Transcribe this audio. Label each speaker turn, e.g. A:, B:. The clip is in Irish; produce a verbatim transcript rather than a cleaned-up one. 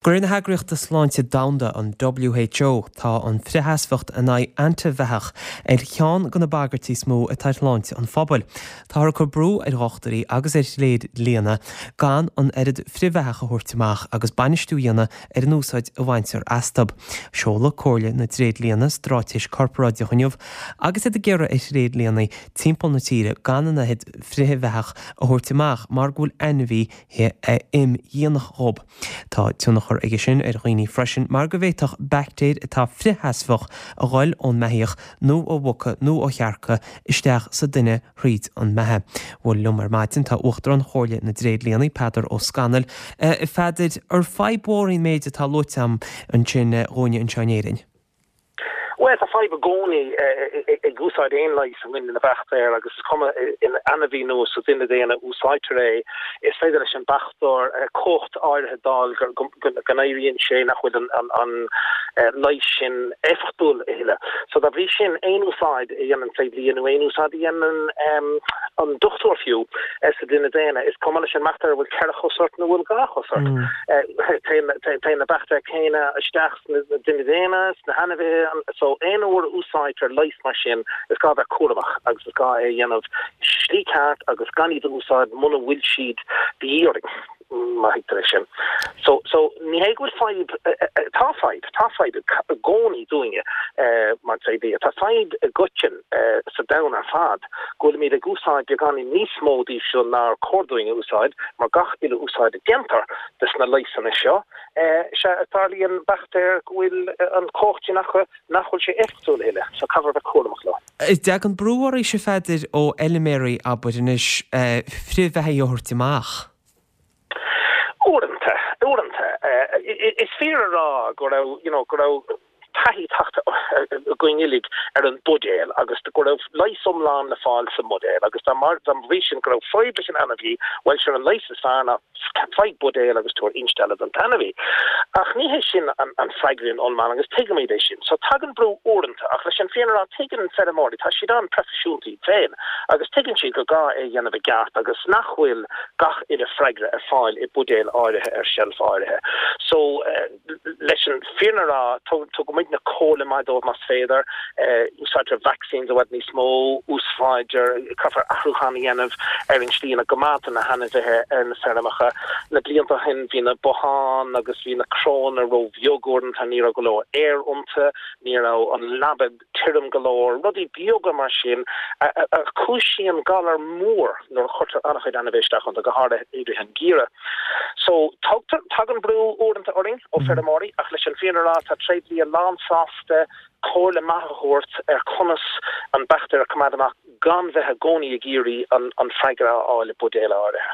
A: De réir na hEagraíochta Sláinte Domhanda an WHO tá an frithsheasmhacht in aghaidh antaibheathach ar cheann de na bagairtí is mó atá ar shláinte an phobail. Táthar ag cur brú ar dhochtúirí agus ar thréidlianna gan an oiread frithbheathach a thabhairt amach agus bainistiú a dhéanamh ar an úsáid a bhaintear astu. Seoladh Comhairle na dTréidlianna straitéis corparáideach inniu agus iad ag iarraidh ar thréidlianna timpeall na tíre gan an oiread frithbheathach a thabhairt amach mar go bhfuil ainmhithe imdhíonach dhób. Tá tionchar aige sin ar dhaoine freisin mar go bhféadfadh baictéir atá frithsheasmhach a ghoil ón mbeithíoch nó ó mhuca nó ó chearca isteach sa duine thríd an mbeatha. Bhuel liom ar maidin tá Uachtarán Chomhairle na dTréidlianna Peadar Ó Scanaill. A Pheadair ar fadhb mhór í an méid atá luaite agam ansin dhúinne anseo in Éirinn.
B: Well tá fadhb i gcónaí ag úsáid aon leigheas i gcoinne na baictéar agus is cuma in ainmhí nó sa duine daonna úsáidtear é is féidir leis an baictéar cumhacht áirithe d'fháil go n-éiríonn sé nach bhfuil an an leigheas sin éifeachtúil a thuilleadh. So dá bhrí sin aon úsáid a dhéanann tréidlia nó aon úsáid a dhéanann an dochtúir fiú sa duine daonna is cuma leis an mbaictéar bhfuil ceithre chos ort nó bhfuil dhá chos ort. Téann na baictéir céanna isteach sna duine daonna sna hainmhithe so aon uair a úsáidtear leigheas mar sin is gá bheith cúramach agus is gá é dhéanamh slí ceart agus gan iad a úsáid muna bhfuil siad de dhíth orainn má thuigtear é sin. So so ní hé go bhfuil fadhb tá fadhb tá fadhb i gcónaí dúinne mar tréidlia tá fadhb i gcoiteann sa domhan ar fad go bhfuilimid ag úsáid beagáinín níos mó díobh seo nár chóir dúinn a úsáid mar gach uile úsáid a déantar des na leigheasanna seo sé tarlaíonn baictéir go bhfuil an chumhacht sin acu nach bhfuil sé éifeachtúil a thuilleadh, so caithfear bheith cúramach leo.
A: Tagann brú oraibhse a Pheadair ó fheilméaraí abair anois frithbheathaigh a thabhairt amach.
B: Uaireanta, uaireanta. Is fíor a rá go raibh, you know, go raibh taithí tagtha againn uilig ar an buidéal agus go raibh leigheas iomlán le fáil sa mbuidéal agus dá mar dá bhrí sin go raibh fadhb leis an ainmhí, bhuel sin an leigheas is fearr ná faigh buidéal agus tabhair instealladh don t-ainmhí. Ach ní hé sin an, an freagra iomlán agus tuigimid é sin. So tagann brú uaireanta ach leis an fírinne a rá tuigeann feirmeoirí tá siad an-phroifisiúnta iad féin agus tuigeann siad gur gá é dhéanamh i gceart agus nach bhfuil gach uile freagra ar fáil i buidéal áirithe ar shelf áirithe. So uh, leis an fírinne a rá tugaimidne comhairle maith dóibh más féidir úsáidtear vaccines i bhfad níos mó úsáidtear caithfear athrúchán a dhéanamh ar an slí ina gcoimeádtar na hainmhithe ar na feirmeacha. Na blianta ó shin bhí na botháin agus bhí na crónna róbheag uaireanta ní raibh go leor aer iontu, ní raibh an leaba tirim go leor, rudaí beaga mar sin a chúisíonn galar mór nuair a chuirtear an-chuid ainmhithe isteach iontu go háirithe i rith an gheimhridh. So tugtar tagann brú uaireanta orainn ó feirmeoirí ach leis an fírinne a rá tá tréidlia lánsásta comhairle maith a thabhairt ar conas an baictéar a choimeád amach gan bheith i gcónaí ag iarraidh an, an freagra a fháil i buidéal áirithe.